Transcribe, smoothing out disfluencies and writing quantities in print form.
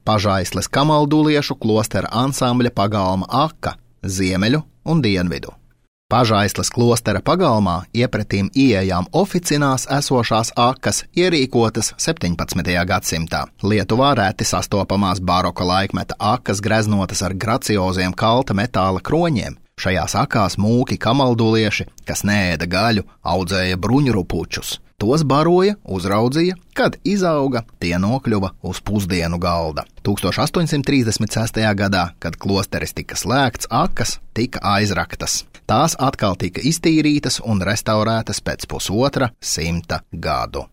Pažaisles kamalduliešu klostera ansambļa pagalma aka, ziemeļu un dienvidu. Pažaisles klostera pagalmā iepretīm ieejām oficinās esošās akas ierīkotas 17. gadsimtā. Lietuvā reti sastopamās baroka laikmeta akas greznotas ar gracioziem kalta metāla kroņiem. Šajās akās mūki kamaldulieši, kas neēda gaļu, audzēja bruņurupučus. Tos baroja, uzraudzīja, kad izauga, tie nokļuva uz pusdienu galda. 1836. gadā, kad klosteris tika slēgts, akas tika aizraktas. Tās atkal tika iztīrītas un restaurētas pēc 150 gadu.